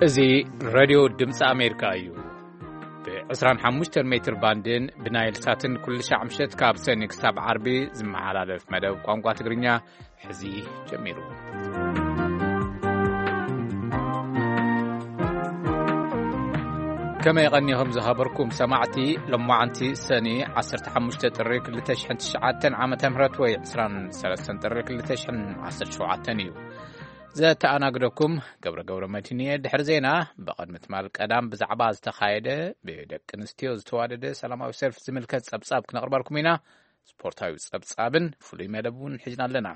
እዚ ሬድዮ ድምፂ ኣሜሪካ እዩ። ብ25 ሜትር ባንድን ብናይል ሳትን ኩሉ ሻዕ ምሸት ካብ ሰኒ ክሳብ ዓርቢ ዝመሓላለፍ መደብ ቋንቋ ትግርኛ ሕዚ ጀሚሩ። ከመይ ቀኒኹም ዝኸበርኩም ሰማዕቲ? ሎማዓንቲ ሰኒ 15 ጥሪ 2009 ዓመተ ምህረት ወይ 23 ጥሪ 2017 እዩ። ዘተኣናግደኩም ገብረ ገብረ መድህን እየ። ድሕሪ ዜና ብቐድሚ ትማል ቀዳም ብዛዕባ ዝተኻየደ ብደቂ ኣንስትዮ ዝተዋደደ ሰላማዊ ሰልፊ ዝምልከት ጸብጻብ ክነቕርበልኩም ኢና። ስፖርታዊ ጸብጻብን ፍሉይ መደብ እውን ሒዝና ኣለና።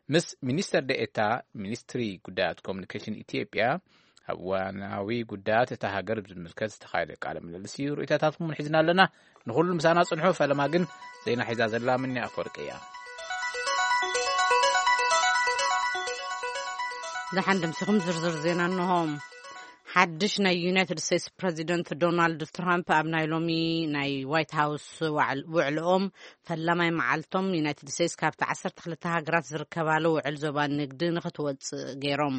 ምስ ሚኒስተር ደኤታ ሚኒስትሪ ጉዳያት ኮሙኒኬሽን ኢትዮጵያ ኣብ እዋናዊ ጉዳያት እታ ሃገር ብዝምልከት ዝተኻየደ ቃለ ምልልስ እዩ። ርእይቶታትኩም እውን ሒዝና ኣለና። ንኹሉ ምሳና ጽንሑ። ፈለማ ግን ዜና ሒዛ ዘላ ምኒ ኣፈወርቂ እያ። ደሓን ደምሲኹም ዝርዝር ዜና እንሆ። ሓድሽ ናይ ዩናይትድ ስቴትስ ፕረዚደንት ዶናልድ ትራምፕ ኣብ ናይ ሎሚ ናይ ዋይት ሃውስ ዋዕል-፣ ውዕልኦም ፈላማይ መዓልቶም ዩናይትድ ስቴትስ ካብቲ 12 ሃገራት ዝርከባሉ ውዕል ዞባ ንግዲ ንኽትወጽእ ገይሮም።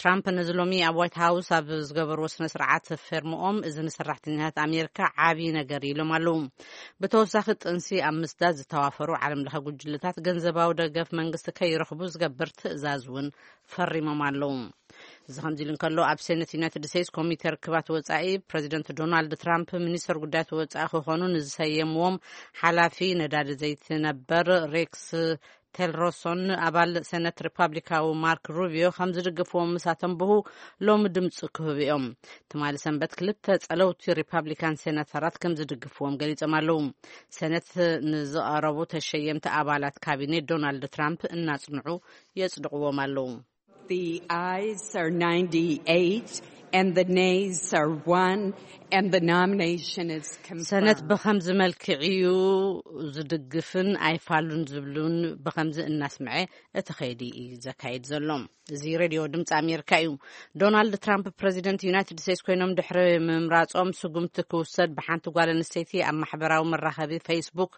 ትራምፕ ነዚ ሎሚ ኣብ ዋይት ሃውስ ኣብ ዝገበርዎ ስነ ስርዓት ፌርምኦም፣ እዚ ንሰራሕተኛታት ኣሜሪካ ዓብዪ ነገር ኢሎም ኣለዉ። ብተወሳኺ ጥንሲ ኣብ ምስዳድ ዝተዋፈሩ ዓለም ለኸ ጉጅለታት ገንዘባዊ ደገፍ መንግስቲ ከይረኽቡ ዝገብር ትእዛዝ እውን ፈሪሞም ኣለዉ። እዚ ከምዚ ኢሉ እንከሎ፣ ኣብ ሴኔት ዩናይትድ ስቴትስ ኮሚቴ ርክባት ወጻኢ ፕረዚደንት ዶናልድ ትራምፕ ሚኒስተር ጉዳያት ወጻኢ ክኾኑ ንዝሰየምዎም ሓላፊ ነዳዲ ዘይትነበር ሬክስ ቴልሮሶን ኣባል ሴነት ሪፓብሊካዊ ማርክ ሩቢዮ ከም ዝድግፍዎም ምስ ኣተንብሁ ሎሚ ድምፂ ክህቡ እዮም። ትማሊ ሰንበት ክልተ ጸለውቲ ሪፓብሊካን ሴናተራት ከም ዝድግፍዎም ገሊጾም ኣለዉ። ሴነት ንዝቐረቡ ተሸየምቲ ኣባላት ካቢኔ ዶናልድ ትራምፕ እናጽንዑ የጽድቕዎም ኣለዉ። The ayes are ninety-eight and the nays are one and the nomination is confirmed. ሰነት ብኸምዚ መልክዕ እዩ ዝድግፍን ኣይፋሉን ዝብሉን ብኸምዚ እናስምዐ እቲ ኸይዲ እዩ ዘካይድ ዘሎ። እዚ ሬድዮ ድምፂ ኣሜሪካ እዩ። ዶናልድ ትራምፕ ፕረዚደንት ዩናይትድ ስቴትስ ኮይኖም ድሕሪ ምምራጾም ስጉምቲ ክውሰድ ብሓንቲ ጓል ኣንስተይቲ ኣብ ማሕበራዊ መራኸቢ ፌስቡክ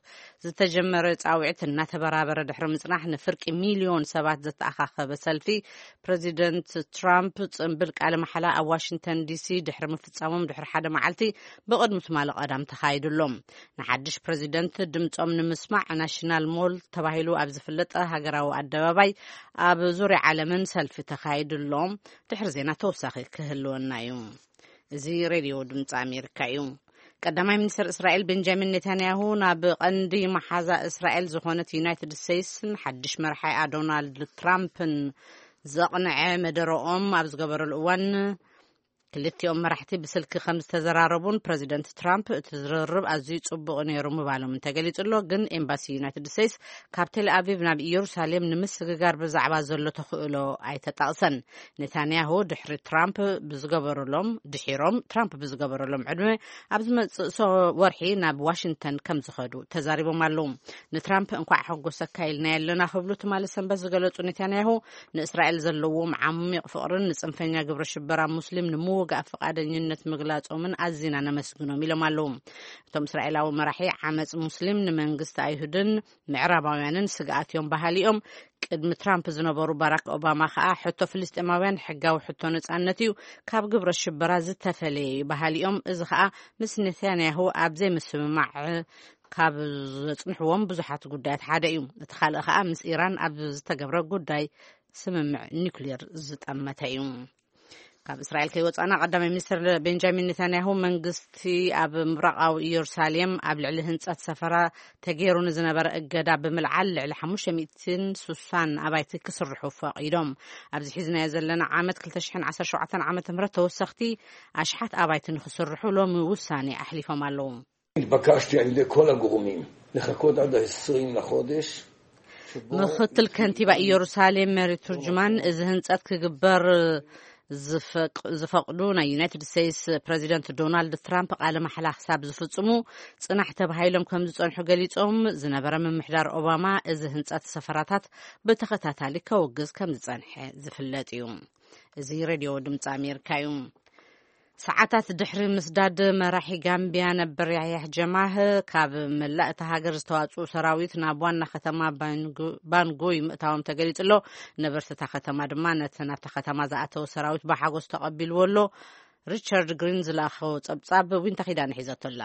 ዝተጀመረ ጻውዒት እናተበራበረ ድሕሪ ምጽናሕ ንፍርቂ ሚልዮን ሰባት ዘተኣኻኸበ ሰልፊ ፕረዚደንት ትራምፕ ጽንብል ቃለ መሓላ ኣብ ዋሽንግተን ዲሲ ድሕሪ ምፍጻሞም ድሕሪ ሓደ መዓልቲ ብቕድሚ ትማሊ ቀዳም ተኻይዱ ኣሎ። ንሓድሽ ፕረዚደንት ድምጾም ንምስማዕ ናሽናል ሞል ተባሂሉ ኣብ ዝፍለጥ ሃገራዊ ኣደባባይ ኣብ ዙርያ ዓለምን ሰልፊ ተኻይዱ ኣሎ። ድሕሪ ዜና ተወሳኺ ክህልወና እዩ። እዚ ሬድዮ ድምፂ ኣሜሪካ እዩ። ቀዳማይ ሚኒስትር እስራኤል ቤንጃሚን ኔታንያሁ ናብ ቀንዲ መሓዛ እስራኤል ዝኾነት ዩናይትድ ስቴትስን ሓድሽ መርሓይኣ ዶናልድ ትራምፕን ዘቕንዐ መደረኦም ኣብ ዝገበረሉ እዋን፣ ክልቲኦም መራሕቲ ብስልኪ ከም ዝተዘራረቡን ፕረዚደንት ትራምፕ እቲ ዝርርብ ኣዝዩ ጽቡቕ ነይሩ ምባሎም እንተገሊጹ ኣሎ። ግን ኤምባሲ ዩናይትድ ስቴትስ ካብ ቴል ኣቪቭ ናብ ኢየሩሳሌም ንምስግጋር ብዛዕባ ዘሎ ተኽእሎ ኣይተጠቕሰን። ኔታንያሁ ድሕሪ ትራምፕ ብዝገበሩሎም፣ ድሒሮም ትራምፕ ብዝገበሩሎም ዕድመ ኣብ ዝመጽእ ሰ-፣ ወርሒ ናብ ዋሽንግተን ከም ዝኸዱ ተዛሪቦም ኣለዉ። ንትራምፕ እንኳዕ ሓጎሰካ ኢልና ኣለና ክብሉ ትማሊ ሰንበት ዝገለጹ ኔታንያሁ፣ ንእስራኤል ዘለዎም ዓሚቕ ፍቕርን ንጽንፈኛ ግብረ ሽበራ ሙስሊም ንምውጋእ ፍቓደኝነት ምግላጾምን ኣዚና ነመስግኖም ኢሎም ኣለዉ። እቶም እስራኤላዊ መራሒ ዓመጽ ሙስሊም ንመንግስቲ ኣይሁድን ምዕራባውያንን ስግኣት እዮም በሃሊ እዮም። ቅድሚ ትራምፕ ዝነበሩ ባራክ ኦባማ ከኣ ሕቶ ፍልስጤማውያን ሕጋዊ ሕቶ ነጻነት እዩ፣ ካብ ግብረ ሽበራ ዝተፈለየ እዩ በሃሊ እዮም። እዚ ከኣ ምስ ኔታንያሁ ኣብ ዘይምስምማዕ ካብ ዘጽንሕዎም ብዙሓት ጉዳያት ሓደ እዩ። እቲ ካልእ ከኣ ምስ ኢራን ኣብ ዝተገብረ ጉዳይ ስምምዕ ኒውክሌር ዝጠመተ እዩ። ካብ እስራኤል ከይወጻና፣ ቀዳማይ ሚኒስትር ቤንጃሚን ኔታንያሁ መንግስቲ ኣብ ምብራቓዊ ኢየሩሳሌም ኣብ ልዕሊ ህንጸት ሰፈራ ተገይሩ ንዝነበረ እገዳ ብምልዓል ልዕሊ 560 ኣባይቲ ክስርሑ ፈቒዶም። ኣብዚ ሒዝናዮ ዘለና ዓመት 2017 ዓመተ ምህረት ተወሰኽቲ ኣሽሓት ኣባይቲ ንክስርሑ ሎሚ ውሳኔ ኣሕሊፎም ኣለዉ። התבקשתי על ידי כל הגורמים לחכות עד ה-20 לחודש, שבו... ምኽትል ከንቲባ ኢየሩሳሌም ሜሪ ቱርጅማን፣ እዚ ህንጸት ክግበር ዝፈቅ-፣ ዝፈቕዱ ናይ ዩናይትድ ስቴትስ ፕረዚደንት ዶናልድ ትራምፕ ቃለ ማሕላ ክሳብ ዝፍጽሙ ጽናሕ ተባሂሎም ከም ዝጸንሑ ገሊጾም ዝነበረ ምምሕዳር ኦባማ፣ እዚ ህንጸት ሰፈራታት ብተኸታታሊ ከውግዝ ከም ዝጸንሐ ዝፍለጥ እዩ። እዚ ሬድዮ ድምፂ ኣሜሪካ እዩ። ሰዓታት ድሕሪ ምስዳድ መራሒ ጋምቢያ ነበር ያህያህ ጀማህ ካብ መላእ እታ ሃገር ዝተዋጽኡ ሰራዊት ናብ ዋና ከተማ ባንጉ-፣ ባንጉይ ምእታዎም ተገሊጹ ኣሎ። ነበርቲ እታ ከተማ ድማ ነቲ ናብታ ከተማ ዝኣተወ ሰራዊት ብሓጎስ ተቐቢልዎ ኣሎ። ሪቻርድ ግሪን ዝለኣኸዎ ጸብጻብ ዊንታ ኪዳነ ሒዘቶ ኣላ።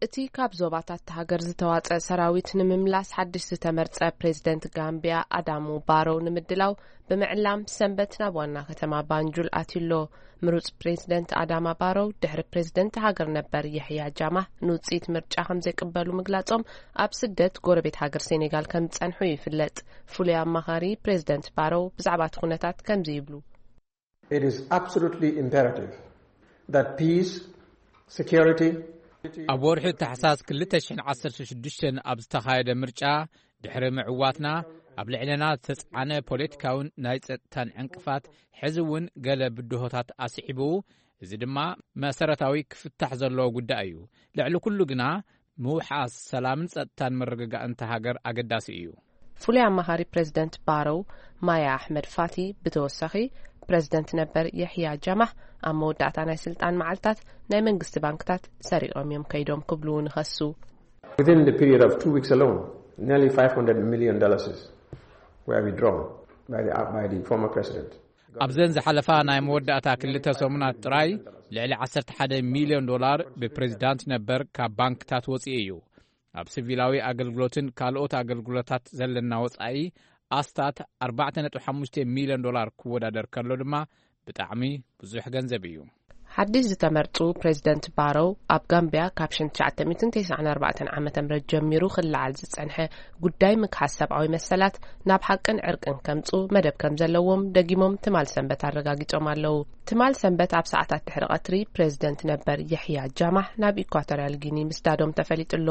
እቲ ካብ ዞባታት እታ ሃገር ዝተዋጸአ ሰራዊት ንምምላስ ሓድሽ ዝተመርጸ ፕሬዝደንት ጋምቢያ ኣዳሙ ባሮው ንምድላው ብምዕላም ሰንበት ናብ ዋና ከተማ ባንጁል ኣትዩ ኣሎ። ምሩጽ ፕሬዝደንት ኣዳማ ባሮው ድሕሪ ፕሬዝደንት ሃገር ነበር የሕያ ጃማህ ንውጽኢት ምርጫ ከም ዘይቅበሉ ምግላጾም ኣብ ስደት ጎረቤት ሃገር ሴኔጋል ከም ዝጸንሑ ይፍለጥ። ፍሉይ ኣማኻሪ ፕሬዝደንት ባሮው ብዛዕባ እቲ ኩነታት ከምዚ ይብሉ። It is absolutely imperative that peace, security, ኣብ ወርሒ ታሕሳስ ክልተ ሽሕን ዓሰርተ ሽዱሽተን ኣብ ዝተኻየደ ምርጫ ድሕሪ ምዕዋትና ኣብ ልዕለና ዝተጻዕነ ፖለቲካውን ናይ ጸጥታን ዕንቅፋት ሕዚ እውን ገለ ብድሆታት ኣስዒቡ፣ እዚ ድማ መሰረታዊ ክፍታሕ ዘለዎ ጉዳይ እዩ። ልዕሊ ኩሉ ግና ምውሓስ ሰላምን ጸጥታን ምርግጋእን እታ ሃገር ኣገዳሲ እዩ። ፍሉይ ኣማኻሪ ፕሬዝደንት ባረው ማያ ኣሕመድ ፋቲ ብተወሳኺ ፕሬዝደንት ነበር የሕያ ጃማህ ኣብ መወዳእታ ናይ ስልጣን መዓልታት ናይ መንግስቲ ባንክታት ሰሪቖም እዮም ከይዶም ክብሉ እውን ይኸሱ። Within the period of two weeks alone, nearly five hundred million dollars were withdrawn by the, by the former president. ኣብዘን ዝሓለፋ ናይ መወዳእታ ክልተ ሰሙናት ጥራይ ልዕሊ ዓሰርተ ሓደ ሚልዮን ዶላር ብፕሬዝዳንት ነበር ካብ ባንክታት ወፂኡ እዩ። ኣብ ሲቪላዊ ኣገልግሎትን ካልኦት ኣገልግሎታት ዘለና ወፃኢ ኣስታት ኣርባዕተ ነጥቢ ሓሙሽተ ሚልዮን ዶላር ክወዳደር ከሎ ድማ ብጣዕሚ ብዙሕ ገንዘብ እዩ። ሓድሽ ዝተመርጹ ፕሬዝደንት ባረው ኣብ ጋምቢያ ካብ ሽሕን ትሽዓተ ሚእትን ተስዓን ኣርባዕተን ዓመተ ምህረት ጀሚሩ ክለዓል ዝጸንሐ ጉዳይ ምግሃስ ሰብኣዊ መሰላት ናብ ሓቅን ዕርቅን ከምጹ መደብ ከም ዘለዎም ደጊሞም ትማል ሰንበት ኣረጋጊጾም ኣለዉ። ትማል ሰንበት ኣብ ሰዓታት ድሕሪ ቀትሪ ፕሬዝደንት ነበር የሕያ ጃማህ ናብ ኢኳቶርያል ጊኒ ምስዳዶም ተፈሊጡ ኣሎ።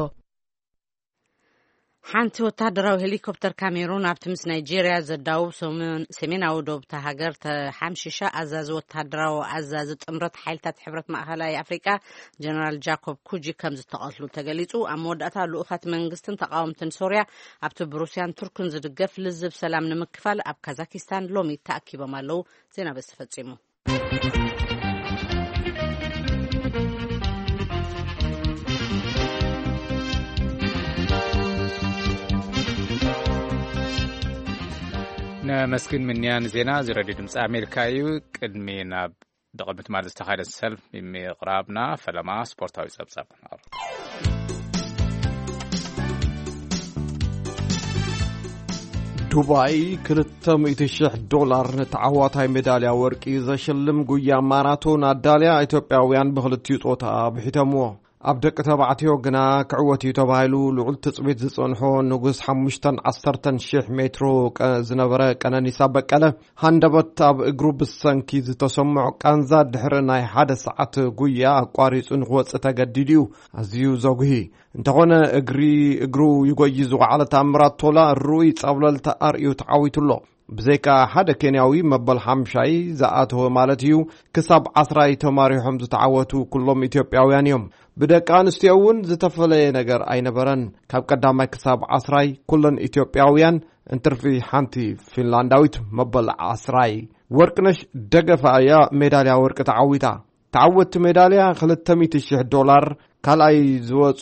ሓንቲ ወታደራዊ ሄሊኮፕተር ካሜሩን ኣብቲ ምስ ናይጄርያ ዘዳውብ ሰሜን-፣ ሰሜናዊ ዶብ እታ ሃገር ተሓምሺሻ። ኣዛዚ ወታደራዊ ኣዛዚ ጥምረት ሓይልታት ሕብረት ማእኸላይ ኣፍሪቃ ጀነራል ጃኮብ ኩጂ ከም ዝተቐትሉ ተገሊጹ። ኣብ መወዳእታ ልኡኻት መንግስትን ተቃወምትን ሶርያ ኣብቲ ብሩስያን ቱርክን ዝድገፍ ልዝብ ሰላም ንምክፋል ኣብ ካዛኪስታን ሎሚ ተኣኪቦም ኣለዉ። ዜና በዚ ተፈጺሙ። ነመስግን ምንያን ዜና እዚ ሬድዮ ድምፂ ኣሜሪካ እዩ። ቅድሚ ናብ ብቕድሚ ትማል ዝተኻየደ ሰልፍ ምቕራብና ፈለማ ስፖርታዊ ጸብጻብ። ዱባይ ክልተ ሚእቲ ሽሕ ዶላር ንተዓዋታይ ሜዳልያ ወርቂ ዘሽልም ጉያ ማራቶን ኣዳልያ ኢትዮጵያውያን ብኽልቲኡ ጾታ ብሒተምዎ። ኣብ ደቂ ተባዕትዮ ግና ክዕወት እዩ ተባሂሉ ልዑል ትጽቢት ዝጸንሖ ንጉስ ሓሙሽተን ዓሰርተን ሽሕ ሜትሮ ቀ-፣ ዝነበረ ቀነኒሳ በቀለ ሃንደበት ኣብ እግሩ ብሰንኪ ዝተሰምዖ ቃንዛ ድሕሪ ናይ ሓደ ሰዓት ጉያ ኣቋሪጹ ንክወጽእ ተገዲዱ እዩ። ኣዝዩ ዘጉሂ እንተኾነ እግሪ እግሩ ይጎይ ዝወዓለ ታምራት ቶላ ርኡይ ጸብለልታ ኣርእዩ ተዓዊቱ ኣሎ። ብዘይካ ሓደ ኬንያዊ መበል ሓምሻይ ዝኣተወ ማለት እዩ፣ ክሳብ ዓስራይ ተማሪሖም ዝተዓወቱ ኩሎም ኢትዮጵያውያን እዮም። ብደቂ ኣንስትዮ እውን ዝተፈለየ ነገር ኣይነበረን። ካብ ቀዳማይ ክሳብ ዓስራይ ኩለን ኢትዮጵያውያን፣ እንትርፊ ሓንቲ ፊንላንዳዊት መበል ዓስራይ። ወርቅነሽ ደገፋ እያ ሜዳልያ ወርቂ ተዓዊታ። ተዓወትቲ ሜዳልያ ክልተ ሚእቲ ሽሕ ዶላር፣ ካልኣይ ዝወጹ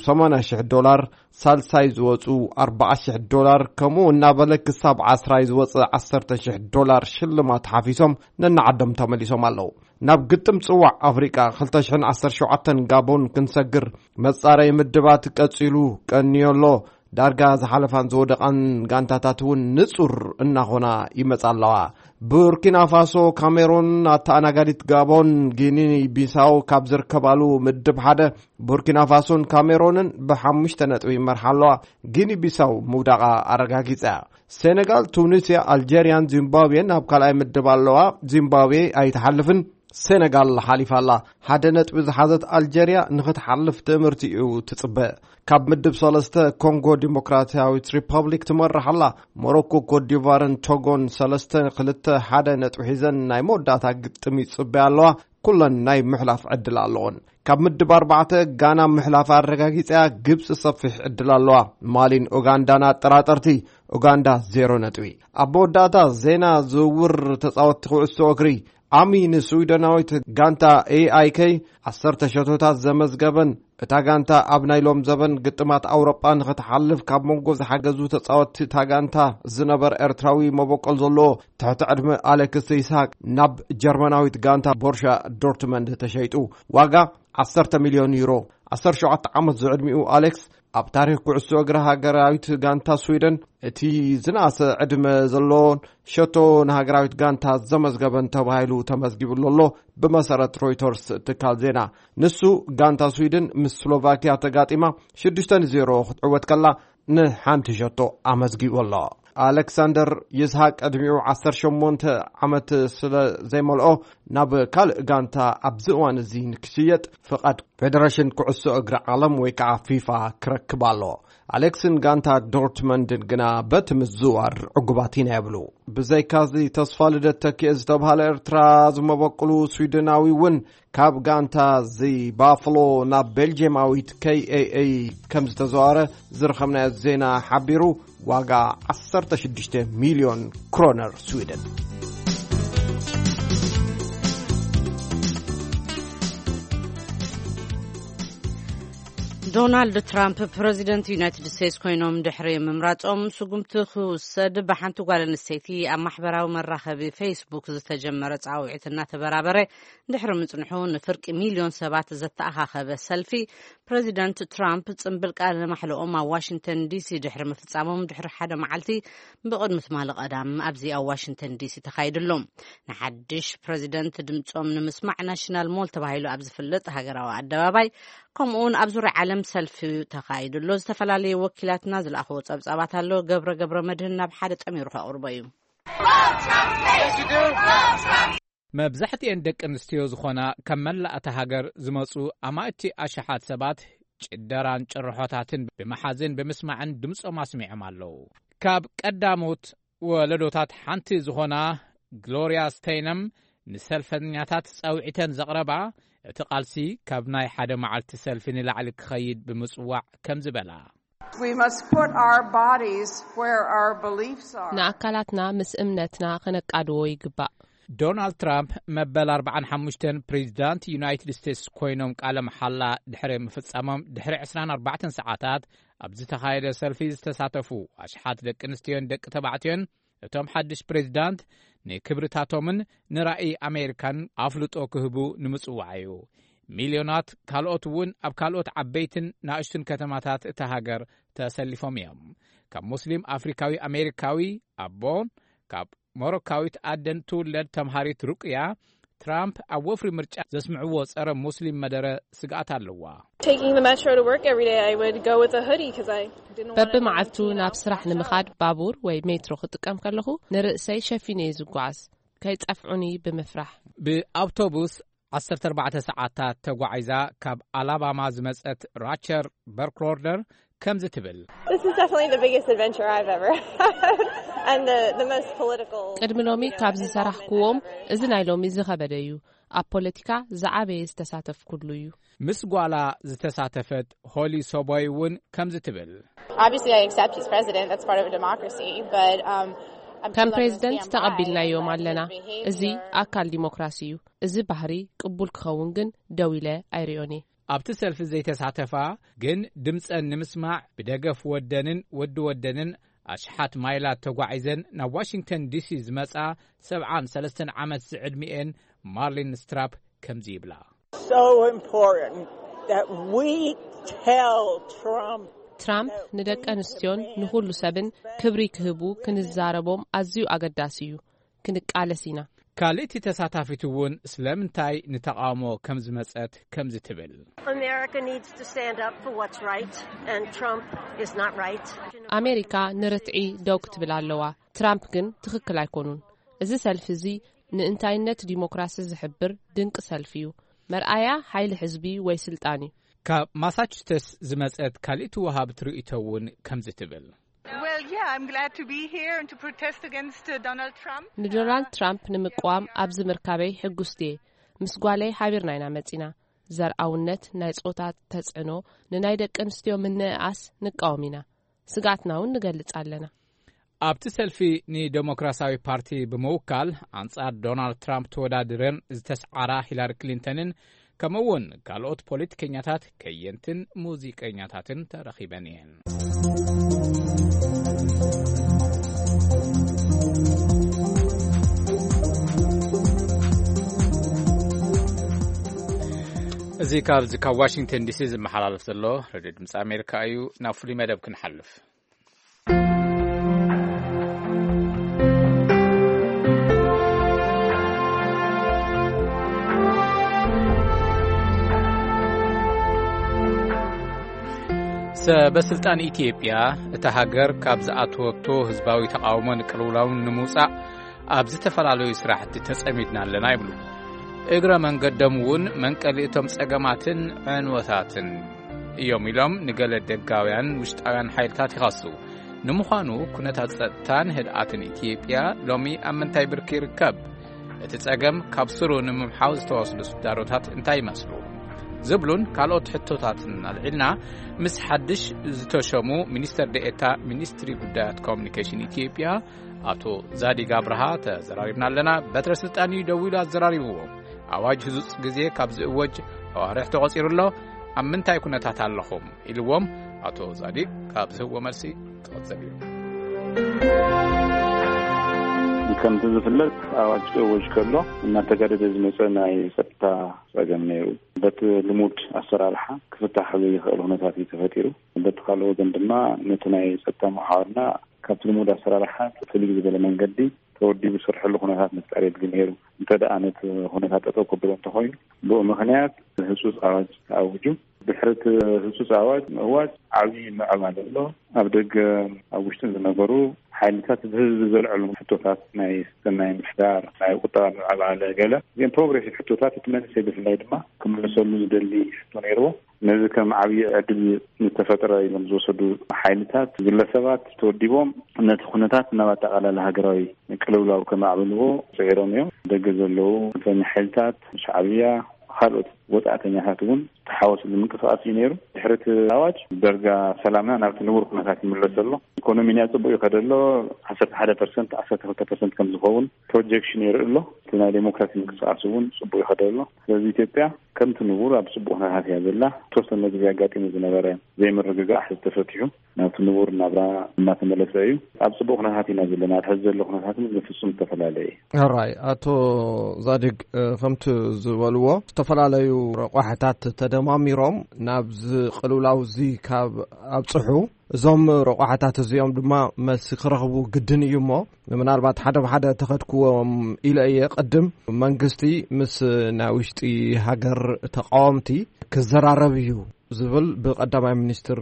ሰማንያ ሽሕ ዶላር፣ ሳልሳይ ዝወጹ ኣርባዓ ሽሕ ዶላር፣ ከምኡ እናበለ ክሳብ ዓስራይ ዝወጽእ ዓሰርተ ሽሕ ዶላር ሽልማት ሓፊሶም ነናዓዶም ተመሊሶም ኣለዉ። ናብ ግጥም ጽዋዕ ኣፍሪቃ ክልተ ሽሕን ዓሰርተ ሸውዓተን ጋቦን ክንሰግር መጻረይ ምድባት ቀጺሉ ቀንዮ ኣሎ። ዳርጋ ዝሓለፋን ዝወደቓን ጋንታታት እውን ንጹር እናኾና ይመጻ ኣለዋ። ቡርኪና ፋሶ፣ ካሜሮን፣ ኣተኣናጋዲት ጋቦን፣ ጊኒ ቢሳው ካብ ዝርከባሉ ምድብ ሓደ ቡርኪና ፋሶን ካሜሮንን ብሓሙሽተ ነጥቢ ይመርሓ ኣለዋ። ጊኒ ቢሳው ምውዳቓ ኣረጋጊጻ እያ። ሴኔጋል፣ ቱኒስያ፣ ኣልጀርያን ዚምባብዌን ኣብ ካልኣይ ምድብ ኣለዋ። ዚምባብዌ ኣይትሓልፍን። ሴነጋል ሓሊፋ ኣላ። ሓደ ነጥቢ ዝሓዘት ኣልጀርያ ንኽትሓልፍ ትእምርቲ እዩ ትጽበ። ካብ ምድብ ሰለስተ ኮንጎ ዲሞክራሲያዊት ሪፐብሊክ ትመርሕ ኣላ። ሞሮኮ፣ ኮትዲቫርን ቶጎን ሰለስተ ክልተ ሓደ ነጥቢ ሒዘን ናይ መወዳእታ ግጥም ይጽበያ ኣለዋ። ኩለን ናይ ምሕላፍ ዕድል ኣለዎን። ካብ ምድብ ኣርባዕተ ጋና ምሕላፍ ኣረጋጊጸያ። ግብጺ ሰፊሕ ዕድል ኣለዋ። ማሊን ኡጋንዳን ኣጠራጠርቲ። ኡጋንዳ ዜሮ ነጥቢ። ኣብ መወዳእታ ዜና ዝውውር ተጻወትቲ ኩዕሶ እግሪ። ኣሚ ንስዊደናዊት ጋንታ ኤኣይከይ ዓሰርተ ሸቶታት ዘመዝገበን፣ እታ ጋንታ ኣብ ናይ ሎም ዘበን ግጥማት ኣውሮጳ ንኽትሓልፍ ካብ መንጎ ዝሓገዙ ተጻወትቲ እታ ጋንታ ዝነበር ኤርትራዊ መበቆል ዘለዎ ትሕቲ ዕድመ ኣሌክስ ይስሃቅ ናብ ጀርመናዊት ጋንታ ቦርሻ ዶርትመንድ ተሸይጡ። ዋጋ ዓሰርተ ሚልዮን ዩሮ። ዓሰርተ ሸውዓተ ዓመት ዝዕድሚኡ ኣሌክስ ኣብ ታሪኽ ኩዕሶ እግሪ ሃገራዊት ጋንታ ስዊደን እቲ ዝነኣሰ ዕድመ ዘለዎን ሸቶ ንሃገራዊት ጋንታ ዘመዝገበን ተባሂሉ ተመዝጊቡ ኣሎ። ብመሰረት ሮይተርስ ትካል ዜና፣ ንሱ ጋንታ ስዊድን ምስ ስሎቫኪያ ተጋጢማ ሽዱሽተ ንዜሮ ክትዕወት ከላ ንሓንቲ ሸቶ ኣመዝጊቡ ኣሎ። ኣሌክሳንደር ይስሃቅ ዕድሚኡ ዓሰርተ ሸሞንተ ዓመት ስለ ዘይመልኦ ናብ ካልእ ጋንታ ኣብዚ እዋን እዚ ንክሽየጥ ፍቓድ ፌደሬሽን ኩዕሶ እግሪ ዓለም ወይ ከዓ ፊፋ ክረክብ ኣሎ። ኣሌክስን ጋንታ ዶርትመንድን ግና በቲ ምዝዋር ዕጉባት ኢና ይብሉ። ብዘይካዚ ተስፋ ልደት ተኪኤ ዝተብሃለ ኤርትራ ዝመበቅሉ ስዊድናዊ እውን ካብ ጋንታ እዚ ባፍሎ ናብ ቤልጅየማዊት ኬኤኤ ከም ዝተዘዋረ ዝረኸብናዮ ዜና ሓቢሩ። ዋጋ ዓሰርተ ሽዱሽተ ሚልዮን ክሮነር ስዊድን። ዶናልድ ትራምፕ ፕረዚደንት ዩናይትድ ስቴትስ ኮይኖም ድሕሪ ምምራጾም፣ ስጉምቲ ክውሰድ ብሓንቲ ጓል ኣንስተይቲ ኣብ ማሕበራዊ መራኸቢ ፌስቡክ ዝተጀመረ ጻውዒት እናተበራበረ ድሕሪ ምጽንሑ፣ ንፍርቂ ሚልዮን ሰባት ዘተኣኻኸበ ሰልፊ ፕረዚደንት ትራምፕ ጽምብል ቃለ ማሕለኦም ኣብ ዋሽንግተን ዲሲ ድሕሪ ምፍጻሞም ድሕሪ ሓደ መዓልቲ ብቕድሚ ትማሊ ቀዳም ኣብዚ ኣብ ዋሽንግተን ዲሲ ተኻይዱ ኣሎ። ንሓድሽ ፕረዚደንት ድምጾም ንምስማዕ ናሽናል ሞል ተባሂሉ ኣብ ዝፍለጥ ሃገራዊ ኣደባባይ፣ ከምኡውን ኣብ ዙርያ ዓለም ሰልፊ ተኻይዱ ኣሎ። ዝተፈላለዩ ወኪላትና ዝለኣኽዎ ጸብጻባት ኣሎ። ገብረ ገብረ መድህን ናብ ሓደ ጠሚሩ ከቕርቦ እዩ። መብዛሕትኤን ደቂ ኣንስትዮ ዝኾና ካብ መላእ እታ ሃገር ዝመጹ ኣማእቲ ኣሽሓት ሰባት ጭደራን ጭርሖታትን ብምሓዝን ብምስማዕን ድምጾም ኣስሚዖም ኣለዉ። ካብ ቀዳሞት ወለዶታት ሓንቲ ዝኾና ግሎርያ ስቴይነም ንሰልፈኛታት ጻውዒተን ዘቕረባ፣ እቲ ቃልሲ ካብ ናይ ሓደ መዓልቲ ሰልፊ ንላዕሊ ክኸይድ ብምጽዋዕ ከም ዝበላ። We must put our bodies where our beliefs are. ንኣካላትና ምስ እምነትና ከነቃድዎ ይግባእ። ዶናልድ ትራምፕ መበል ኣርባዓን ሓሙሽተን ፕሬዚዳንት ዩናይትድ ስቴትስ ኮይኖም ቃለ መሓላ ድሕሪ ምፍጻሞም ድሕሪ ዕስራን ኣርባዕተን ሰዓታት ኣብ ዝተኻየደ ሰልፊ ዝተሳተፉ ኣሽሓት ደቂ ኣንስትዮን ደቂ ተባዕትዮን፣ እቶም ሓድሽ ፕሬዚዳንት ንክብርታቶምን ንራእይ ኣሜሪካን ኣፍልጦ ክህቡ ንምጽዋዕ እዩ። ሚልዮናት ካልኦት እውን ኣብ ካልኦት ዓበይትን ናእሽቱን ከተማታት እታ ሃገር ተሰሊፎም እዮም። ካብ ሙስሊም ኣፍሪካዊ ኣሜሪካዊ ኣቦን ካብ ሞሮካዊት ኣደን ትውለድ ተምሃሪት ሩቅያ፣ ትራምፕ ኣብ ወፍሪ ምርጫ ዘስምዕዎ ጸረ ሙስሊም መደረ ስግኣት ኣለዋ። Taking the metro to work every day, I would go with a hoodie 'cause I didn't want anyone በብመዓልቱ to ናብ ስራሕ ንምኻድ ባቡር ወይ ሜትሮ ክጥቀም ከለኹ ንርእሰይ ሸፊነ እየ ዝጓዓዝ፣ ከይጸፍዑኒ ብምፍራሕ። ብኣውቶቡስ ዓሰርተ ኣርባዕተ ሰዓታት ተጓዒዛ ካብ ኣላባማ ዝመጸት ራቸር በርክሎርደር ከምዚ ትብል። This is definitely the biggest adventure I've ever had and the, the most political. ቅድሚ ሎሚ ካብ ዝሰራሕኩዎም እዚ ናይ ሎሚ ዝኸበደ እዩ። ኣብ ፖለቲካ ዝዓበየ ዝተሳተፍኩሉ እዩ። ምስ ጓላ ዝተሳተፈት ሆሊ ሶቦይ እውን ከምዚ ትብል። Obviously, I accept he's president. That's part of a democracy. But, um, I'm ከም ፕሬዚደንት ተቐቢልናዮም ኣለና። እዚ ኣካል ዲሞክራሲ እዩ። እዚ ባህሪ ቅቡል ክኸውን ግን ደው ኢለ ኣይሪኦን እየ። ኣብቲ ሰልፊ ዘይተሳተፋ ግን ድምፀን ንምስማዕ ብደገፍ ወደንን ወዲ ወደንን ኣሽሓት ማይላት ተጓዒዘን ናብ ዋሽንግተን ዲሲ ዝመፃ ሰብዓን ሰለስተን ዓመት ዝዕድሚኤን ማርሊን ስትራፕ ከምዚ ይብላ። So important that we tell Trump ትራምፕ ንደቂ ኣንስትዮን ንኹሉ ሰብን ክብሪ ክህቡ ክንዛረቦም ኣዝዩ ኣገዳሲ እዩ። ክንቃለስ ኢና። ካልእቲ ተሳታፊት እውን ስለምንታይ ንተቓውሞ ከም ዝመጸት ከምዚ ትብል። America needs to stand up for what's right, and Trump is not right. ኣሜሪካ ንርትዒ ደው ክትብል ኣለዋ። ትራምፕ ግን ትኽክል ኣይኮኑን። እዚ ሰልፊ እዚ ንእንታይነት ዲሞክራሲ ዝሕብር ድንቂ ሰልፊ እዩ። መርኣያ ሓይሊ ሕዝቢ ወይ ስልጣን እዩ። ካብ ማሳቹሴትስ ዝመጸት ካልእቲ ወሃብቲ ርእይቶ እውን ከምዚ ትብል። Well, yeah, I'm glad to be here and to protest against uh, Donald Trump. ንዶናልድ ትራምፕ ንምቅዋም ኣብዚ ምርካበይ ሕጉስቲ እየ። ምስ ጓለይ ሓቢርና ኢና መጺና። ዘርኣውነት፣ ናይ ጾታ ተጽዕኖ፣ ንናይ ደቂ ኣንስትዮ ምንእኣስ ንቃወም ኢና። ስግኣትና እውን ንገልጽ ኣለና። ኣብቲ ሰልፊ ንደሞክራሲያዊ ፓርቲ ብምውካል ኣንጻር ዶናልድ ትራምፕ ተወዳዲረን ዝተስዓራ ሂላሪ ክሊንተንን ከምኡውን ካልኦት ፖለቲከኛታት፣ ከየንትን ሙዚቀኛታትን ተረኺበን እየን። እዚ ካብዚ ካብ ዋሽንግተን ዲሲ ዝመሓላለፍ ዘሎ ሬድዮ ድምፂ ኣሜሪካ እዩ። ናብ ፍሉይ መደብ ክንሓልፍ። ሰበስልጣን ኢትዮጵያ፣ እታ ሃገር ካብ ዝኣተወቶ ህዝባዊ ተቓውሞን ቅልውላውን ንምውጻእ ኣብ ዝተፈላለዩ ስራሕቲ ተጸሚድና ኣለና ይብሉ። እግረ መንገዶም እውን መንቀሊ እቶም ጸገማትን ዕንወታትን እዮም ኢሎም ንገለ ደጋውያን ውሽጣውያን ሓይልታት ይኸሱ። ንምዃኑ ኩነታት ጸጥታን ህድኣትን ኢትዮጵያ ሎሚ ኣብ ምንታይ ብርኪ ይርከብ? እቲ ጸገም ካብ ስሩ ንምምሓው ዝተወስዱ ስዳሮታት እንታይ ይመስሉ? ዝብሉን ካልኦት ሕቶታትን ኣልዒልና ምስ ሓድሽ ዝተሸሙ ሚኒስተር ደኤታ ሚኒስትሪ ጉዳያት ኮሚኒኬሽን ኢትዮጵያ ኣቶ ዛዲግ ኣብርሃ ተዘራሪብና ኣለና። በትረ ስልጣን እዩ ደዊሉ ኣዘራሪብዎ። ኣዋጅ ህጹጽ ግዜ ካብ ዝእወጅ ኣዋርሕ ተቖጺሩ ኣሎ። ኣብ ምንታይ ኩነታት ኣለኹም? ኢልዎም። ኣቶ ዛዲግ ካብ ዝህብዎ መልሲ ክቕጽል እዩ። ከምቲ ዝፍለጥ፣ ኣዋጅ ክእወጅ ከሎ እናተጋደደ ዝመጸ ናይ ጸጥታ ጸገም ነይሩ። በቲ ልሙድ ኣሰራርሓ ክፍታሕ ዘይኽእል ኩነታት እዩ ተፈጢሩ። በቲ ካልእ ወገን ድማ ነቲ ናይ ጸጥታ መሓውርና ካብቲ ልሙድ ኣሰራርሓ ፍልይ ዝበለ መንገዲ ተወዲቡ ዝሰርሐሉ ኩነታት ምፍጣር የድሊ ነይሩ። እንተ ደኣ ነቲ ኩነታት ጠጠው ከብሎ እንተኾይኑ፣ ብኡ ምኽንያት ህጹጽ ኣዋጅ ተኣዊጁ። ድሕሪ እቲ ህጹጽ ኣዋጅ ምእዋጅ ዓብዪ ምዕባለ ኣሎ። ኣብ ደገ ኣብ ውሽጥን ዝነበሩ ሓይልታት ብህዝቢ ዘልዐሉ ሕቶታት ናይ ሰናይ ምሕዳር፣ ናይ ቁጠባ ምዕባለ ገለ እዚኦም ፕሮግሬሲቭ ሕቶታት እቲ መንእሰይ ብፍላይ ድማ ክምልሰሉ ዝደሊ ሕቶ ነይርዎ። ነዚ ከም ዓብዪ ዕድል ዝተፈጥረ ኢሎም ዝወሰዱ ሓይልታት፣ ግለሰባት ተወዲቦም ነቲ ኩነታት ናብ ኣጠቓላሊ ሃገራዊ ቅልውላው ከማዕብልዎ ጽዒሮም እዮም። ደገ ዘለዉ ጽንፈኛ ሓይልታት፣ ሻዕብያ፣ ካልኦት ወጻእተኛታት እውን ዝተሓወስሉ ምንቅስቃስ እዩ ነይሩ። ድሕሪ እቲ ኣዋጅ ደረጃ ሰላምና ናብቲ ንቡር ኩነታት ይምለስ ኣሎ። ኢኮኖሚና ጽቡቅ ይኸደ ኣሎ። ዓሰርተ ሓደ ፐርሰንት፣ ዓሰርተ ክልተ ፐርሰንት ከም ዝኸውን ፕሮጀክሽን የርኢ ኣሎ። እቲ ናይ ዴሞክራሲ ምንቅስቃስ እውን ጽቡቅ ይኸደ ኣሎ። ስለዚ ኢትዮጵያ ከምቲ ንቡር ኣብ ጽቡቅ ኩነታት እያ ዘላ። ተወሰነ ግዜ ኣጋጢሙ ዝነበረ ዘይምርግጋእ ሕዚ ተፈቲሑ ናብቲ ንቡር ናብራ እናተመለሰ እዩ። ኣብ ጽቡቅ ኩነታት ኢና ዘለና። ኣብ ሕዚ ዘሎ ኩነታት ግን ብፍጹም ዝተፈላለየ እዩ። ሕራይ፣ ኣቶ ዛዲግ፣ እ፣ ከምቲ ዝበልዎ፣ ዝተፈላለዩ ረቋሕታት ተደማሚሮም ናብዚ ቅልውላው እዚ ካብ ኣብጽሑ፣ እዞም ረቋሕታት እዚኦም ድማ መልሲ ክረኽቡ ግድን እዩ እሞ፣ ምናልባት ሓደ ብሓደ ተኸድክዎም ኢለ እየ። ቅድም መንግስቲ ምስ ናይ ውሽጢ ሃገር ተቃወምቲ ክዘራረብ እዩ ዝብል ብቀዳማይ ሚኒስትር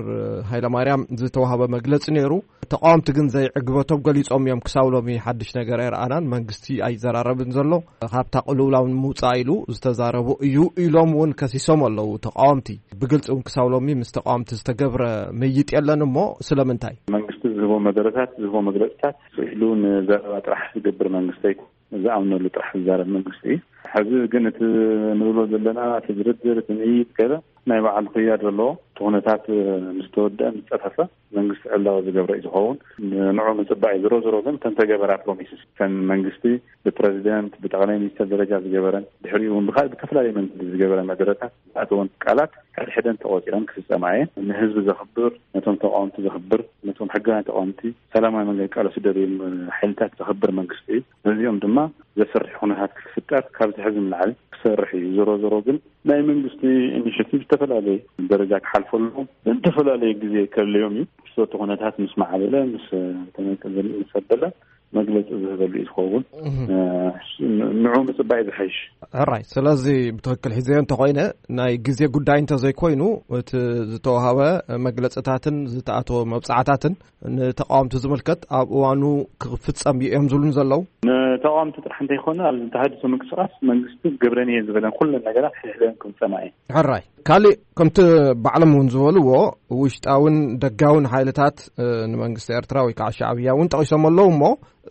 ሃይለማርያም ዝተዋህበ መግለጺ ነይሩ። ተቃወምቲ ግን ዘይዕግበቶም ገሊጾም እዮም። ክሳብ ሎሚ ሓድሽ ነገር ኣይረኣናን፣ መንግስቲ ኣይዘራረብን ዘሎ፣ ካብታ ቅልውላው ንምውጻእ ኢሉ ዝተዛረቡ እዩ ኢሎም እውን ከሲሶም ኣለዉ ተቃወምቲ። ብግልጺ እውን ክሳብ ሎሚ ምስ ተቃወምቲ ዝተገብረ ምይይጥ የለን። እሞ ስለምንታይ? መንግስቲ ዝህቦ መደረታት፣ ዝህቦ መግለጽታት ስኢሉ ንዘረባ ጥራሕ ዝገብር መንግስቲ ኣይኮነን። ዝኣምነሉ ጥራሕ ዝዛረብ መንግስቲ እዩ። ሕዚ ግን እቲ ንብሎ ዘለና፣ እቲ ድርድር፣ እቲ ምይይጥ ገለ ናይ ባዕሉ ክያድ ዘለዎ፣ እቲ ኩነታት ምስ ተወደአ፣ ምስ ጸፈፈ፣ መንግስቲ ዕላዊ ዝገብረ እዩ ዝኸውን። ንዑ ምጽባይ። ዝሮ ዝሮ ግን እተን ተገበራ ፕሮሚስስ፣ እተን መንግስቲ ብፕረዚደንት፣ ብጠቕላይ ሚኒስትር ደረጃ ዝገበረን፣ ድሕሪኡ እውን ብካልእ ብተፈላለየ መንገዲ ዝገበረ መደረታት ዝኣተወን ቃላት፣ ሕድሕደን ተቖጺረን ክፍጸማ እየን። ንህዝቢ ዘኽብር፣ ነቶም ተቃወምቲ ዘኽብር፣ ነቶም ሕጋውያን ተቃወምቲ ሰላማዊ መንገዲ ቃለሱ ደልዮም ሓይልታት ዘኽብር መንግስቲ እዩ። ነዚኦም ድማ ዘፍርሕ ኩነታት ክትፍጠር ካብዚ ሕዚ ንላዕሊ ክሰርሕ እዩ። ዞሮ ዞሮ ግን ናይ መንግስቲ ኢኒሽቲቭ ዝተፈላለየ ደረጃ ክሓልፈሉ፣ ዝተፈላለየ ግዜ ከድልዮም እዩ። ምስቲ ኩነታት ምስ ማዕበለ፣ ምስ ተመቀዘሊ፣ ምስ ኣበለ መግለጺ ዝህበሉ እዩ ዝኸውን። እህ። እ፣ ንዑ ምጽባይ ዝሓይሽ። ሕራይ፣ ስለዚ ብትኽክል ሒዘዮ እንተኾይነ፣ ናይ ግዜ ጉዳይ እንተዘይኮይኑ፣ እቲ ዝተዋህበ መግለጽታትን ዝተኣተወ መብጻዕታትን ንተቃወምቲ ዝምልከት ኣብ እዋኑ ክፍጸም እዩ እዮም ዝብሉን ዘለዉ። ንተቃወምቲ ጥራሕ እንተይኮነ፣ ኣብ ዝተሃድሶ ምንቅስቃስ መንግስቲ ክገብረን እየ ዝበለን ኩለን ነገራት ሕድሕደን ክፍጸማ እየን። ሕራይ፣ ካሊእ ከምቲ ባዕሎም እውን ዝበልዎ፣ ውሽጣውን ደጋውን ሓይልታት፣ እ፣ ንመንግስቲ ኤርትራ ወይ ከዓ ሻዕብያ እውን ጠቒሶም ኣለዉ እሞ፣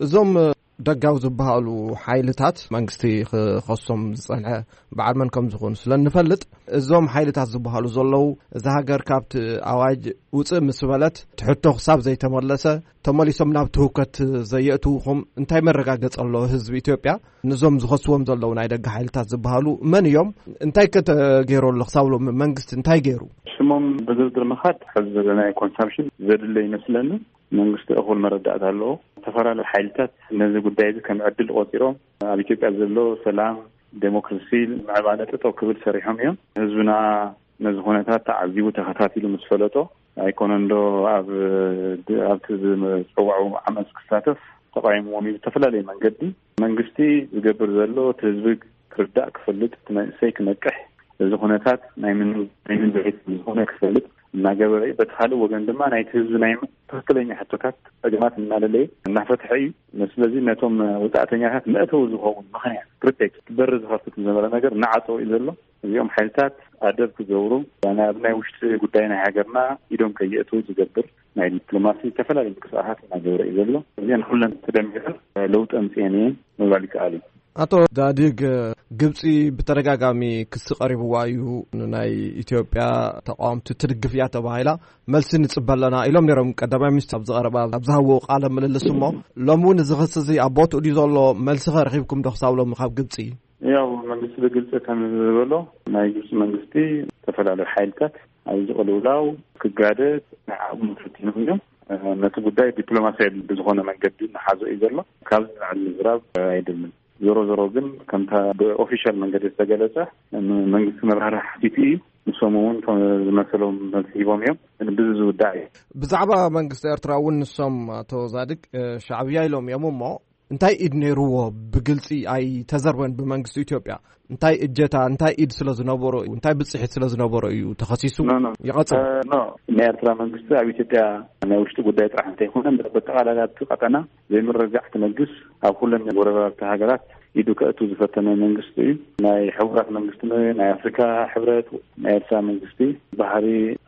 እዞም፣ እ፣ ደጋዊ ዝበሃሉ ሓይልታት፣ መንግስቲ ክኸሶም ዝጸንሐ በዓል መን ከም ዝኾኑ ስለ እንፈልጥ፣ እዞም ሓይልታት ዝበሃሉ ዘለዉ፣ እዛ ሃገር ካብቲ ኣዋጅ ውጽእ ምስ በለት፣ ትሕቶ ክሳብ ዘይተመለሰ፣ ተመሊሶም ናብ ትውከት ዘየእትውኹም እንታይ መረጋገጺ ኣሎ? ህዝቢ ኢትዮጵያ፣ ንዞም ዝኸስዎም ዘለዉ ናይ ደገ ሓይልታት ዝበሃሉ መን እዮም? እንታይ ከ ተገይሩ ኣሎ? ክሳብ ሎሚ መንግስቲ እንታይ ገይሩ? ሽሞም ብዝርዝር ምኻድ፣ ሕዚ ዘለናዮ ኮንሳምፕሽን ዘድለ ይመስለኒ። መንግስቲ እኹል መረዳእታ ኣለዎ። ዝተፈላለዩ ሓይልታት ነዚ ጉዳይ እዚ ከም ዕድል ቆጺሮም፣ ኣብ ኢትዮጵያ ዘሎ ሰላም፣ ዴሞክራሲ፣ ምዕባለ ጠጠው ክብል ሰሪሖም እዮም። ህዝብና ነዚ ኩነታት ተዓዚቡ፣ ተኸታቲሉ ምስ ፈለጦ፣ ኣይኮነን ዶ ኣብ፣ ኣብቲ ዝፀዋዑ ዓመፅ ክሳተፍ? ተቃይምዎም እዩ ብዝተፈላለየ መንገዲ። መንግስቲ ዝገብር ዘሎ እቲ ህዝቢ ክርዳእ፣ ክፈልጥ፣ እቲ መንእሰይ ክነቅሕ፣ እዚ ኩነታት ናይ ምን፣ ናይ ምን ድሌት ዝኾነ ክፈልጥ እናገበረ እዩ። በቲ ካልእ ወገን ድማ ናይቲ ህዝቢ ናይ ትኽክለኛ ሕቶታት፣ ፀገማት እናለለየ እናፈትሐ እዩ። ስለዚ ነቶም ወፃእተኛታት መእተዊ ዝኸውን ምኽንያት፣ ፕሪቴክስት፣ በሪ ዝኸፍት ዝነበረ ነገር እናዓፀወ እዩ ዘሎ። እዚኦም ሓይልታት ኣደብ ክገብሩ፣ ናብ ናይ ውሽጢ ጉዳይ ናይ ሃገርና ኢዶም ከየእትዉ ዝገብር ናይ ዲፕሎማሲ ዝተፈላለዩ ምንቅስቃሳት እናገበረ እዩ ዘሎ። እዚአን ኩለን ተደሚረን ለውጢ ኣምፅኤን እየን ምባል ይከኣል እዩ። ኣቶ ዛዲግ፣ ግብጺ ብተደጋጋሚ ክሲ ቀሪብዋ እዩ፣ ንናይ ኢትዮጵያ ተቃወምቲ ትድግፍ እያ ተባሂላ። መልሲ ንጽበ ኣለና ኢሎም ነይሮም ቀዳማይ ሚኒስትር ኣብ ዝቐረባ፣ ኣብ ዝሃብዎ ቃለ ምልልስ። እሞ ሎሚ እውን እዚ ክሲ እዚ ኣብ ቦትኡ ድዩ ዘሎ? መልሲ ከ ረኺብኩም ዶ ክሳብ ሎሚ ካብ ግብጺ? ያው መንግስቲ ብግልፂ ከም ዝበሎ፣ ናይ ግብፂ መንግስቲ ዝተፈላለዩ ሓይልታት ኣብዚ ቅልውላው ክጋደድ ናይ ዓቕሙ ፈቲኖም እዮም። ነቲ ጉዳይ ዲፕሎማሲያዊ ብዝኾነ መንገዲ እናሓዞ እዩ ዘሎ። ካብዚ ንላዕሊ ምዝራብ ኣይደልን። ዞሮ ዞሮ ግን ከምታ ብኦፊሻል መንገዲ ዝተገለጸ፣ መንግስቲ መብራህርሂ ሓቲቱ እዩ። ንሶም እውን ዝመሰሎም መልሲ ሂቦም እዮም። ግን ብዚ ዝውዳእ እዩ። ብዛዕባ መንግስቲ ኤርትራ እውን ንሶም፣ ኣቶ ዛድግ፣ እ፣ ሻዕብያ ኢሎም እዮም። እሞ እንታይ ኢድ ነይርዎ? ብግልጺ ኣይተዘርበን ብመንግስቲ ኢትዮጵያ። እንታይ እጀታ፣ እንታይ ኢድ ስለ ዝነበሮ እዩ፣ እንታይ ብጽሒት ስለ ዝነበሮ እዩ ተኸሲሱ? ኖ፣ ኖ። ይቐጽል። እ፣ ኖ። ናይ ኤርትራ መንግስቲ ኣብ ኢትዮጵያ ናይ ውሽጢ ጉዳይ ጥራሕ እንተይኮነ፣ በጠቓላላ ኣብቲ ቀጠና ዘይምርግጋዕ ክነግስ፣ ኣብ ኩለን ጎረባብቲ ሃገራት ኢዱ ከእቱ ዝፈተነ መንግስቲ እዩ። ናይ ሕቡራት መንግስቲ፣ ናይ ኣፍሪካ ሕብረት፣ ናይ ኤርትራ መንግስቲ ባህሪ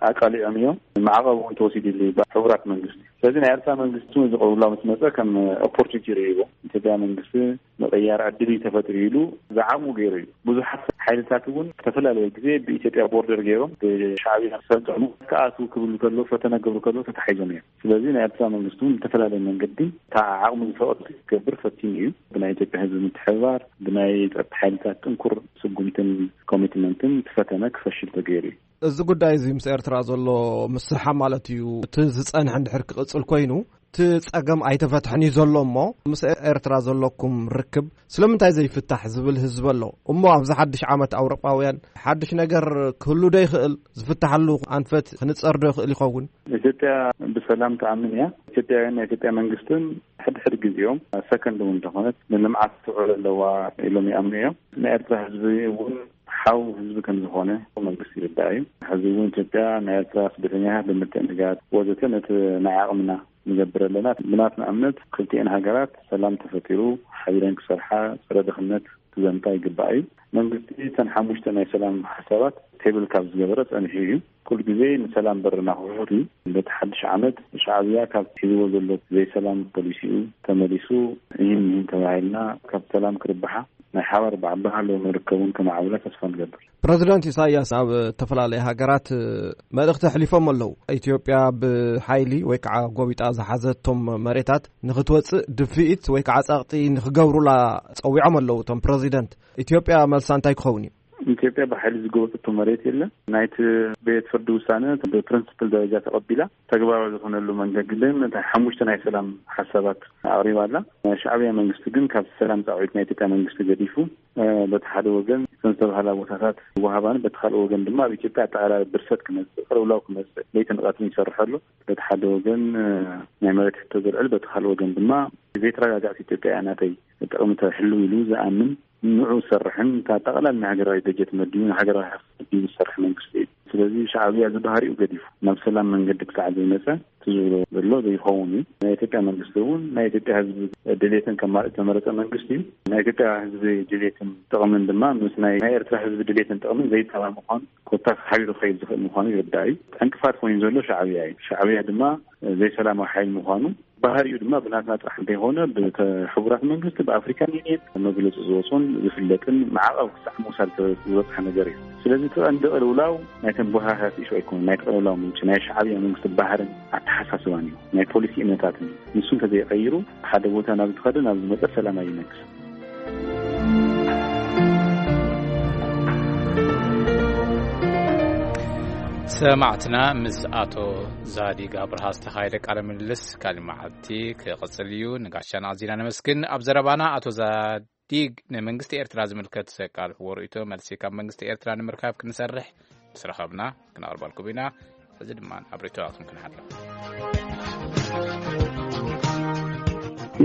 ኣቃሊዖም እዮም። ማዕቐብ እውን ተወሲድሉ እዩ ብሕቡራት መንግስቲ። ስለዚ ናይ ኤርትራ መንግስቲ ዝቕርብላ ምስ መፀ ከም ኦፖርቹኒቲ ይርእይዎ። ኢትዮጵያ መንግስቲ ምቕያር ዕድል እዩ ተፈጢሩ ኢሉ ዝዓቕሙ ገይሩ እዩ። ብዙሓት ሓይልታት እውን ዝተፈላለየ ግዜ ብኢትዮጵያ ቦርደር ገይሮም ብሻዕብያ ሰልጠኑ ክኣትዉ ክብሉ ከለዉ፣ ፈተነ ክገብሩ ከለዉ ተታሒዞም እዮም። ስለዚ ናይ ኤርትራ መንግስቲ እውን ብዝተፈላለየ መንገዲ እታ ዓቕሙ ዝፈቐዶ ክገብር ፈቲኑ እዩ። ብናይ ኢትዮጵያ ህዝቢ ምትሕብባር፣ ብናይ ጸጥታ ሓይልታት ጥንኩር ስጉምትን ኮሚትመንትን እቲ ፈተነ ክፈሽል ተገይሩ እዩ። እዚ ጉዳይ እዚ ምስ ኤርትራ ዘሎ ምስርሓ ማለት እዩ፣ እቲ ዝጸንሐ እንድሕር ክቕጽል ኮይኑ፣ እቲ ጸገም ኣይተፈትሐን እዩ ዘሎ። እሞ ምስ ኤርትራ ዘለኩም ርክብ ስለምንታይ ዘይፍታሕ ዝብል ህዝቢ ኣሎ። እሞ ኣብዚ ሓድሽ ዓመት ኣውሮጳውያን ሓድሽ ነገር ክህሉ ዶ ይኽእል? ዝፍታሓሉ ኣንፈት ክንጸር ዶ ይኽእል ይኸውን? ኢትዮጵያ ብሰላም ትኣምን እያ። ኢትዮጵያውያን ናይ ኢትዮጵያ መንግስትን ሕድሕድ ግዜኦም ሰከንድ እውን እንተኾነት ንልምዓት ትውዕል ኣለዋ ኢሎም ይኣምኑ እዮም። ናይ ኤርትራ ህዝቢ እውን ሓው ህዝቢ ከም ዝኾነ መንግስቲ ይርዳእ እዩ። ሕዚ እውን ኢትዮጵያ ናይ ኤርትራ ስደተኛታት ብምትእንጋድ ወዘተ ነቲ ናይ ዓቕምና ንገብር ኣለና። ብናትና እምነት ክልቲኤን ሃገራት ሰላም ተፈጢሩ ሓቢረን ክሰርሓ፣ ጸረ ድኽነት ክዘምታ ይግባእ እዩ። መንግስቲ እተን ሓሙሽተ ናይ ሰላም ሓሳባት ቴብል ካብ ዝገበረ ጸኒሑ እዩ። ኩሉ ግዜ ንሰላም በርና ክፉት እዩ። በቲ ሓድሽ ዓመት ሻዕብያ ካብ ሒዝዎ ዘሎ ዘይሰላም ፖሊሲኡ ተመሊሱ፣ ይህን ይህን ተባሂልና ካብ ሰላም ክርብሓ፣ ናይ ሓባር በዓል ባህላዊ መርከብ እውን ከማዕብላ ተስፋ ንገብር። ፕረዚደንት ኢሳያስ ኣብ እተፈላለየ ሃገራት መልእኽቲ ኣሕሊፎም ኣለዉ። ኢትዮጵያ ብሓይሊ ወይ ከዓ ጎቢጣ ዝሓዘቶም መሬታት ንኽትወፅእ ድፍኢት ወይ ከዓ ጸቕጢ ንኽገብሩላ ጸዊዖም ኣለዉ እቶም ፕረዚደንት። ኢትዮጵያ መልሳ እንታይ ክኸውን እዩ? ኢትዮጵያ ብሓይሊ ዝጎበጠቶ መሬት የለን። ናይቲ ቤት ፍርዲ ውሳነ ብፕሪንስፕል ደረጃ ተቐቢላ፣ ተግባራዊ ዝኾነሉ መንገዲ ግን እታ ሓሙሽተ ናይ ሰላም ሓሳባት ኣቕሪባ ኣላ። ናይ ሻዕብያ መንግስቲ ግን ካብቲ ሰላም ጻውዒት ናይ ኢትዮጵያ መንግስቲ ገዲፉ፣ እ፣ በቲ ሓደ ወገን እተን ዝተባህላ ቦታታት ይወሃባን፣ በቲ ካልእ ወገን ድማ ኣብ ኢትዮጵያ ኣጠቓላሊ ብርሰት ክመጽእ፣ ቅልውላው ክመጽእ ለይትን ቀትርን ይሰርሕ ኣሎ። በቲ ሓደ ወገን፣ እ፣ ናይ መሬት ሕቶ ዘልዕል፣ በቲ ካልእ ወገን ድማ ዘይተረጋጋእት ኢትዮጵያ እያ ናተይ ጥቕሚ ተሕልው ኢሉ ዝኣምን፣ ንዑ ዝሰርሕን፣ እታ ጠቕላላ ንሃገራዊ በጀት መዲቡ፣ ንሃገራዊ ሃብቲ መዲቡ ዝሰርሕ መንግስቲ እዩ። ስለዚ ሻዕብያ እዚ ባህሪኡ ገዲፉ፣ ናብ ሰላም መንገዲ ክሳዕ ዘይመጸ፣ እቲ ዝብሎ ዘሎ ዘይኸውን እዩ። ናይ ኢትዮጵያ መንግስቲ እውን ናይ ኢትዮጵያ ህዝቢ ድሌትን ከማልእ ዝተመረጸ መንግስቲ እዩ። ናይ ኢትዮጵያ ህዝቢ ድሌትን ጥቕምን ድማ ምስ ናይ፣ ናይ ኤርትራ ህዝቢ ድሌትን ጥቕምን ዘይጣባእ ምዃኑ፣ ኮታስ ሓቢሩ ክኸይድ ዝኽእል ምዃኑ ይርዳእ እዩ። ዕንቅፋት ኮይኑ ዘሎ ሻዕብያ እዩ። ሻዕብያ ድማ ዘይሰላማዊ ሓይሊ ምዃኑ ባህሪኡ ድማ ብናትና ጥራሕ እንተይኮነ፣ ብሕቡራት መንግስቲ፣ ብኣፍሪካን ዩኒየን መግለፂ ዝወፅኦን ዝፍለጥን ማዕቐብ ክሳዕ ምውሳድ ዝበፅሐ ነገር እዩ። ስለዚ እቲ ቀንዲ ቅልውላው ናይተን ቡሃህራት ኢሹ ኣይኮነን። ናይቲ ቅልውላው ምንጪ ናይ ሻዕብያ መንግስቲ ባህርን ኣተሓሳስባን እዩ፣ ናይ ፖሊሲ እምነታትን እዩ። ንሱ እንተዘይቀይሩ፣ ሓደ ቦታ ናብ ዝኸደ ናብ ዝመፀ ሰላም ኣይነግስን። ሰማዕትና፣ ምስ ኣቶ ዛዲግ ኣብርሃ ዝተኻየደ ቃለ ምልልስ ካልእ መዓልቲ ክቕጽል እዩ። ንጋሻና ኣዚና ነመስግን። ኣብ ዘረባና ኣቶ ዛዲግ ንመንግስቲ ኤርትራ ዝምልከት ዘቃልሕዎ ርእይቶ መልሲ ካብ መንግስቲ ኤርትራ ንምርካብ ክንሰርሕ ምስ ረኸብና ክነቕርበልኩም ኢና። ሕዚ ድማ ኣብ ርእይቶታትኩም ክንሓልፍ።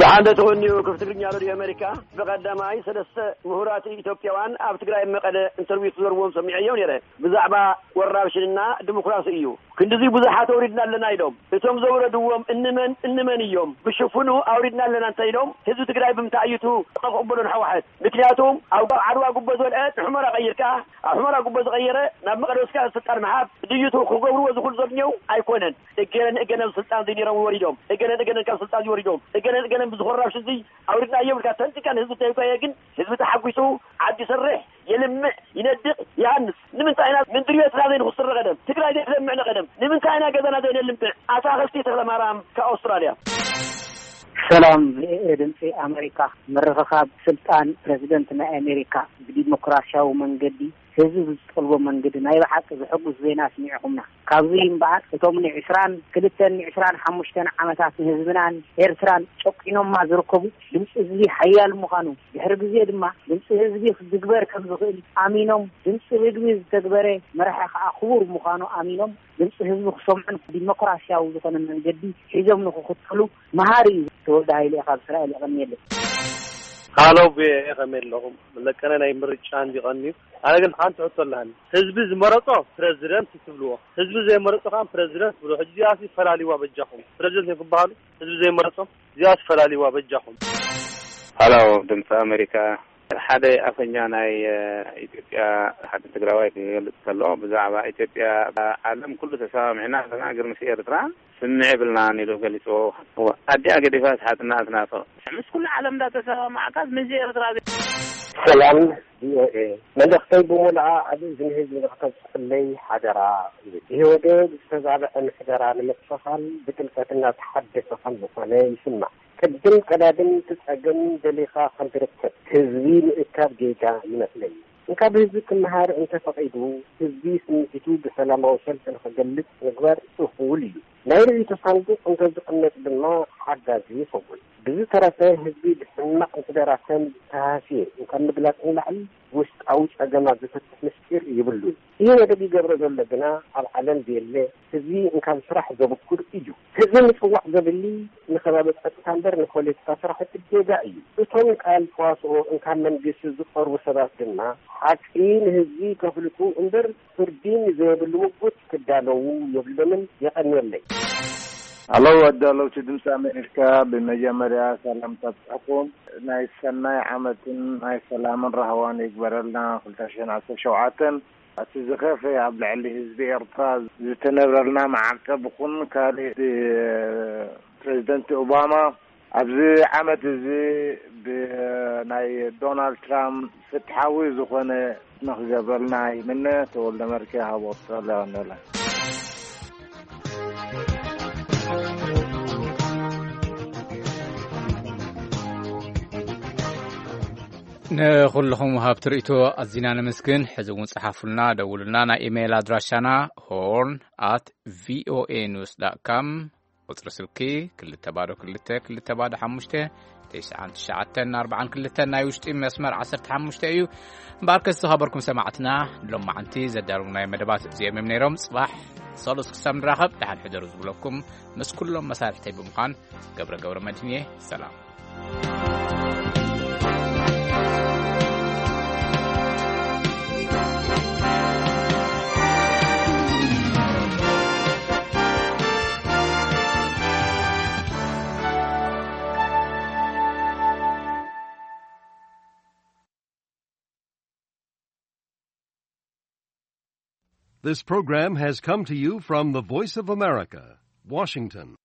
ደሓን ዶ ትኾንዩ? ክፍቲ ትግርኛ ሬድዮ ኣሜሪካ። ብቐዳማይ ሰለስተ ምሁራት ኢትዮጵያውያን ኣብ ትግራይ መቐለ ኢንተርቪው ክዘርዎም ሰሚዐዮም ነይረ። ብዛዕባ ወራብ ሽንና ዲሞክራሲ እዩ። ክንድዚ ብዙሓት ኣውሪድና ኣለና ኢሎም። እቶም ዘውረድዎም እንመን እንመን እዮም? ብሽፍኑ ኣውሪድና ኣለና እንተ ኢሎም፣ ህዝቢ ትግራይ ብምንታይ እዩ እቲ ክቕበሎ ንሕወሓት? ምክንያቱም ኣብ ዓድዋ ጉቦ ዝበልዐ ንሑመራ ቀይርካ፣ ኣብ ሑመራ ጉቦ ዝቐየረ ናብ መቐለ ወስካ ስልጣን ምሃብ ድዩ? እቲ ክገብርዎ ዝኽእሉ ዘግኘው ኣይኮነን። እገለን እገለን ስልጣን ዘይነይሮም ወሪዶም፣ እገለን እገለን ካብ ስልጣን ወሪዶም፣ እገለን እገለን ብዝኾራብ ሽዚ ኣውሪድና እዮም ኢልካ ተንቲካ ንህዝቢ ተይጓየ ግን ህዝቢ ተሓጒሱ ዓዲ ይሰርሕ፣ የልምዕ፣ ይነድቕ፣ ይሃንጽ። ንምንታይ ኢና ምንድሪ ኤርትራ ዘይንኹስር ንቐደም? ትግራይ ዘይትለምዕ ንቐደም? ንምንታይ ኢና ገዛና ዘይነልምዕ? ኣታኽልቲ ተኽለ ማርያም ካብ ኣውስትራልያ። ሰላም፣ ቪኦኤ ድምፂ ኣሜሪካ። ምርኽኻብ ስልጣን ፕረዚደንት ናይ ኣሜሪካ ብዲሞክራሲያዊ መንገዲ ህዝቢ ብዝጠልቦ መንገዲ ናይ ብሓቂ ዘሐጉስ ዜና ኣስሚዕኹምና። ካብዚ እምበኣር እቶም ንዕስራን ክልተን ንዕስራን ሓሙሽተን ዓመታት ንህዝብናን ኤርትራን ጨቂኖማ ዝርከቡ ድምፂ ህዝቢ ሓያል ምዃኑ ድሕሪ ግዜ ድማ ድምፂ ህዝቢ ክግበር ከም ዝኽእል ኣሚኖም ድምፂ ህዝቢ ዝተግበረ መራሒ ከዓ ክቡር ምዃኑ ኣሚኖም ድምፂ ህዝቢ ክሰምዑን ዲሞክራሲያዊ ዝኾነ መንገዲ ሒዞም ንክኽተሉ መሃሪ እዩ። ተወልደ ሃይለ ካብ እስራኤል የቐንየለይ። ሃሎ ቪኦኤ ከመይ ኣለኹም? ለቀነ ናይ ምርጫ እንዲቐንዩ ኣነ ግን ሓንቲ ሕቶ ኣለሃኒ። ህዝቢ ዝመረጾ ፕረዚደንት ትብልዎ፣ ህዝቢ ዘይመረጾ ከዓ ፕረዚደንት ትብልዎ። ሕጂ እዚኣሲ ፈላልዋ በጃኹም። ፕረዚደንት እዮም ክበሃሉ ህዝቢ ዘይመረጾም። እዚኣሲ ፈላልዋ በጃኹም። ሃሎ ድምፂ ኣሜሪካ፣ ሓደ ኣፈኛ ናይ ኢትዮጵያ ሓደ ትግራዋይ ክገልፅ ከሎ ብዛዕባ ኢትዮጵያ ዓለም ኩሉ ተሰማሚዕና ኣለና፣ ግን ምስ ኤርትራ ስምዕ የብልናን ኢሉ ገሊፅዎ። ኣዲኣ ገዲፋስ ሓትና ትናፍቕ። ምስ ኩሉ ዓለም እንዳተሰማማዕካስ ምስ ኤርትራ ዘ- ሰላም ቪኦኤ፣ መልእኽተይ ብሙሉኣ ኣብ እዝኒ ህዝቢ ንክተብፅሕለይ ሓደራ እዩ። ኢህወዴግ ዝተዛብዐ ምሕደራ ንምክልኻል ብጥልቀት እናተሓደሰ ከም ዝኾነ ይስማዕ። ቅድም ቀዳድም እቲ ፀገም ደሊኻ ከም ትርከብ ህዝቢ ምእካብ ጌጋ ይመስለኒ። እንካብ ህዝቢ ክመሃር እንተፈቒዱ ህዝቢ ስምዒቱ ብሰላማዊ ሰልፊ ንኽገልፅ ምግባር እኹል እዩ። ናይ ርእይቶ ሳንዱቕ እንተዝቕመጥ ድማ ሓጋዚ ይኸውን። ብዝተረፈ ህዝቢ ብሕማቕ ምሕደራ ከም ዝተሃስየ ካብ ምግላፅ ንላዕሊ ውሽጣዊ ፀገማት ዝፈትሕ ምስጢር ይብሉን። ኢህወደግ ይገብሮ ዘሎ ግና ኣብ ዓለም ዘየለ ህዝቢ እንካብ ስራሕ ዘብኩር እዩ። ህዝቢ ምፅዋዕ ዘብሊ ንከባቢ ፀጥታ እምበር ንፖለቲካ ስራሕቲ ጌጋ እዩ። እቶም ቃል ተዋስኦ እንካብ መንግስቲ ዝቐርቡ ሰባት ድማ ሓቂ ንህዝቢ ከፍልጡ እምበር ፍርዲ ንዘየብሉ ምጉት ክዳለዉ የብሎምን። የቐንየለይ። ኣለው ኣዳለውቲ ድምፂ ኣሜሪካ፣ ብመጀመርያ ሰላምታ ብፅሕኩም ናይ ሰናይ ዓመትን ናይ ሰላምን ራህዋን ይግበረልና። ክልተ ሽሕን ዓሰርተ ሸውዓተን እቲ ዝኸፈ ኣብ ልዕሊ ህዝቢ ኤርትራ ዝተነብረልና መዓልቲ ብኹን ካልእ ፕሬዚደንት ኦባማ ኣብዚ ዓመት እዚ ብናይ ዶናልድ ትራምፕ ፍትሓዊ ዝኾነ ንክገብረልና ይምነ። ተወልደ መርኬ ሃቦ ኣውስትራልያ ቀንደላ። ንኹልኹም ወሃብቲ ርእይቶ ኣዚና ነመስግን። ሕዚ እውን ጸሓፉልና፣ ደውሉልና። ናይ ኢሜይል ኣድራሻና ሆርን ኣት ቪኦኤ ኒውስ ዳት ካም፣ ቁጽሪ ስልኪ ክልተ ባዶ ክልተ ክልተ ባዶ ሓሙሽተ፣ ተስዓን ትሽዓተን ኣርባዓን ክልተን፣ ናይ ውሽጢ መስመር ዓሰርተ ሓሙሽተ እዩ። እምበኣርከስ ዝኸበርኩም ሰማዕትና፣ ሎማዓንቲ ዘዳለውናዮ መደባት እዚኦም እዮም ነይሮም። ጽባሕ ሰሉስ ክሳብ ንራኸብ ደሓን ሕደሩ ዝብለኩም ምስ ኩሎም መሳርሕተይ ብምዃን ገብረ ገብረ መድህን እየ። ሰላም። This program has come to you from the Voice of America, Washington.